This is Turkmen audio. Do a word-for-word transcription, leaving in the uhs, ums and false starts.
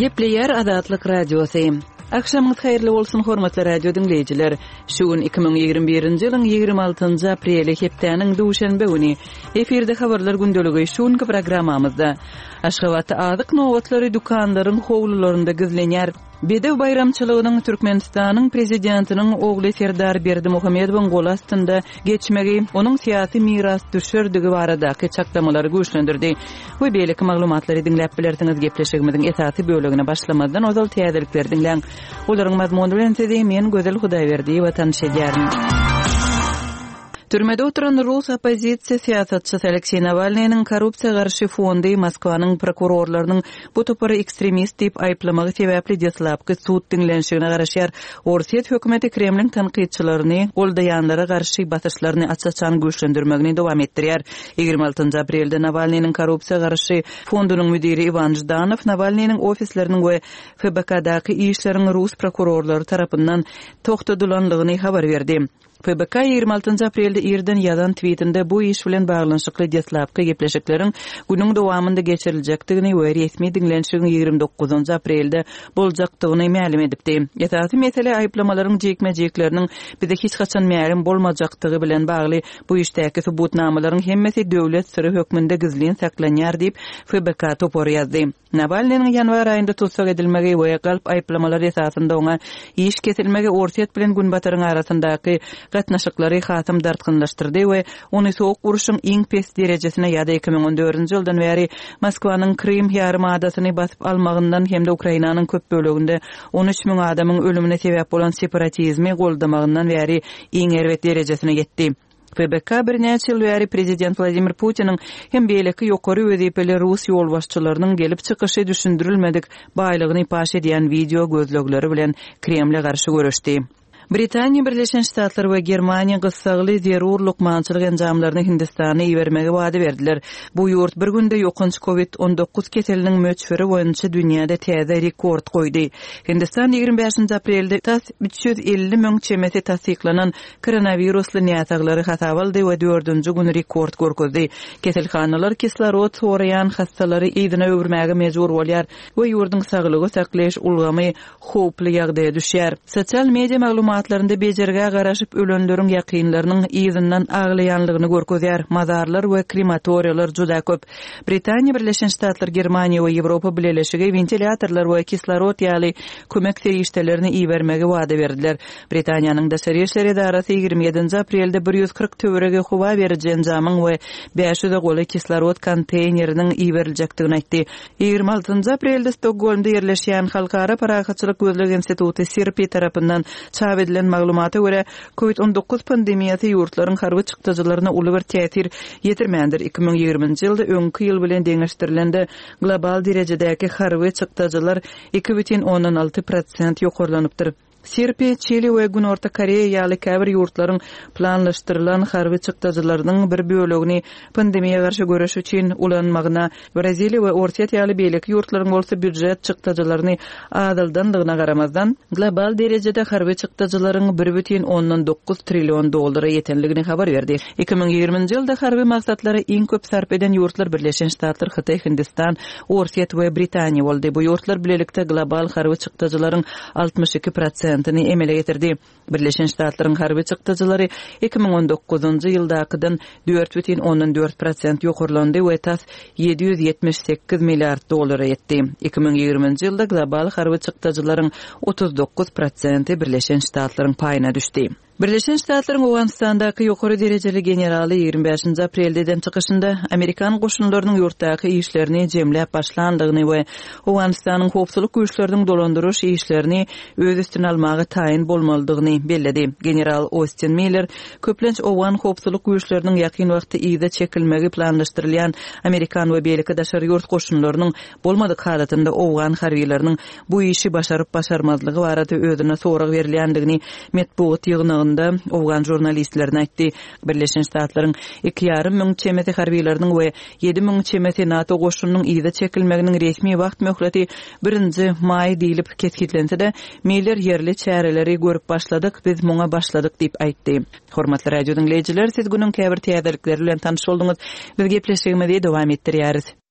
Gepleýär Azatlyk Radiosy. Agşamyňyz haýyrly bolsun, hormatly radio diňleýjiler. Şu gün iki müň ýigrimi birinji ýylyň ýigrimi altynjy apreli, hepdäniň duşenbe güni. Efirde habarlar gündeligi şu günki programmamyzda. Aşgabatda azyk nobatlary dükanlaryň howlularynda gizlenýär. Bedew baýramçylygynyň Türkmenistanyň Prezidentiniň ogly Serdar Berdimuhamedowyň goly astynda geçmegi onuň syýasy mirasdüşerdigi baradaky çaklamalary güýçlendirdi we beýleki maglumatlary diňläp bilersiňiz. Gepleşigimiziň esasy bölegine başlamazdan ozal täzelikleri diňläň. Olaryň mazmuny bilen sizi men Gözel Hudaýberdiýewa tanyş edýärin. Türmede oturan rus oppozisiýa syýasatçysy Alekseý Nawalnynyň korrupsiýa garşy fondy Moskwanyň prokurorlarynyň bu topary ekstremist diýip aýyplamagy sebäpli deslapky sud diňlenişigine garaşýar. Orsýet hökümeti Kremliň tankytçylaryny goldaýanlara garşy basyşlaryny aç-açan güýçlendirmegini dowam etdirýär. Ýigrimi altynjy aprelde Nawalnynyň korrupsiýa garşy fondunyň müdiri Iwan Ždanow Nawalnynyň ofisleriniň we F B K-daky işleriň rus prokurorlary tarapyndan togtadylanlygyny habar berdi. F B K ýigrimi altynjy aprelde irden ýazan tweetinde bu iş bilen baglanyşykly deslapky gepleşikleriň günüň dowamynda geçiriljekdigini we resmi diňlenişigiň ýigrimi dokuzynjy aprelde boljakdygyny mälim edipdi. Esasy mesele aýyplamalaryň jikme-jikleriniň bize hiç haçan mälim bolmajakdygy bilen bagly bu işdäki subutnamalaryň hemmesi döwlet syry hökmünde gizlin saklanýar diýip F B K topary ýazdy. Nawalnynyň ýanwar aýynda tutsag edilmegi we galp aýyplamalar esasynda oňa iş kesilmegi Orsýet bilen Günbataryň arasyndaky gatnaşyklary hasam dartgynlaşdyrdy we ony soğuk uruşyň iň pes derejesine ýa-da iki müň on dördünji ýyldan bäri Moskwanyň Krym ýarym adasyny basyp almagyndan hem-de Ukrainanyň köp böleginde on üç müň adamyň ölümine sebäp bolan separatizmi goldamagyndan bäri iň erbet derejesine ýetdi. F B K birnäçe ýyl bäri Prezident Wladimir Putiniň hem beýleki ýokary wezipeli rus ýolbaşçylarynyň gelip çykyşy düşündirilmedik baýlygyny paş edýän video gözlegleri bilen Kremle garşy görüşdi. Britaniýa, Birleşen Ştatlar we Germaniýa gyssagly zerur lukmançylyk enjamlaryny Hindistana ibermegi wada berdiler. Bu ýurt bir günde ýokanç COVID on dokuz keseliniň möçberi boýunça dünýäde täze rekord goýdy. Hindistan ýigrimi bäşinji aprelde tas üç ýüz elli müň çemesi tassyklanan koronavirusly näsaglary hasap aldy we dördünji gün rekord görkezdi. Keselhanalar kislorod soraýan hassalary yzyna öwürmäge mejbur bolýar we ýurduň saglygy saklaýyş ulgamy howply ýagdaýa düşýär. Sosial media maglumatlarynda bejergä garaşyp ölenleriň ýakynlarynyň yzyndan aglaýanlygyny görkezýär. Mazarlar we krematoriýalar juda köp. Britaniýa, Birleşen Ştatlar, Germaniýa we Ýewropa Bileleşigi wentilyatorlar we kislorod ýaly kömek serişdelerini ibermegi wada berdiler. Britaniýanyň Daşary Işler Edarasy ýigrimi ýedinji aprelde bir ýüz kyrk töweregi howa beriji enjamyň we bäş ýüze golaý kislorod konteyneriniň iberiljekdigini aýtdy. Ýigrimi altynjy aprelde Stokgolmda ýerleşýän Halkara Parahatçylyk Gözleg Instituty SIRPI tarapyndan çap edilen maglumata görä COVID on dokuz pandemiýasy ýurtlaryň harby çykdajylaryna uly bir täsir ýetirmändir. Iki müň ýigriminji ýylda öňki ýyl bilen deňeşdirilende global derejedäki harby çykdajylar iki bütin ondan alty prosent ýokarlanypdyr. SIRPI, Çili we Günorta Koreýa ýaly käbir ýurtlaryň planlaşdyrylan harby çykdajylarynyň bir bölegini pandemiýa garşy göreş üçin ulanmagyna, Braziliýa we Orsýet ýaly beýleki ýurtlaryň bolsa býujet çykdajylaryny azaldandygyna garamazdan, global derejede harby çykdajylaryň bir bütin ondan dokuz trillion dollara ýetenligini habar berdi. Iki müň ýigriminji ýylda harby maksatlara iň köp sarp eden ýurtlar Birleşen Ştatlar, Hytaý, Hindistan, Orsýet we Britaniýa boldy. Bu ýurtlar bilelikde global harby çykdajylaryň altmyş iki prosentini emele getirdi. Birleşen Ştatlaryň harby çykdajylary iki müň on dokuzunjy ýyldakydan dört bütin ondan dört prosent ýokarlandy we tas ýedi ýüz ýetmiş sekiz milliard dollara ýetdi. Iki müň ýigriminji ýylda global harby çykdajylaryň otuz dokuz prosenti Birleşen Ştatlaryň paýyna düşdi. Birleşen Ştatlaryň Owganystandaky ýokary derejeli generaly ýigrimi bäşinji aprelde eden çykyşynda Amerikan goşunlarynyň ýurtdaky işlerini jemläp başlandygyny we Owganystanyň howpsuzlyk güýçleriniň dolandyryş işlerini öz üstüne almaga taýyn bolmalydygyny belledi. General Austin Miller köplenç Owgan howpsuzlyk güýçleriniň ýakyn wagtda yza çekilmegi planlaşdyrylýan Amerikan we beýleki daşary ýurt goşunlarynyň bolmadyk halatynda Owgan harbileriniň bu işi başaryp başarmazlygy barada özüne sorag berilýändigini metbugat ýygnagynda Owgan jurnalistlerine aýtdy. Birleşen Ştatlaryň iki ýarym müň çemesi harbileriniň we ýedi müň çemesi NATO goşunynyň yza çekilmeginiň resmi wagt möhleti birinji maý diýlip kesgitlense-de, Miller ýerli çäreleri görüp başladyk, biz muňa başladyk diýip aýtdy. Hormatly radio diňleýjiler, siz günüň käbir täzelikleri bilen tanyş bolduňyz. Biz gepleşigimizi dowam etdirýäris.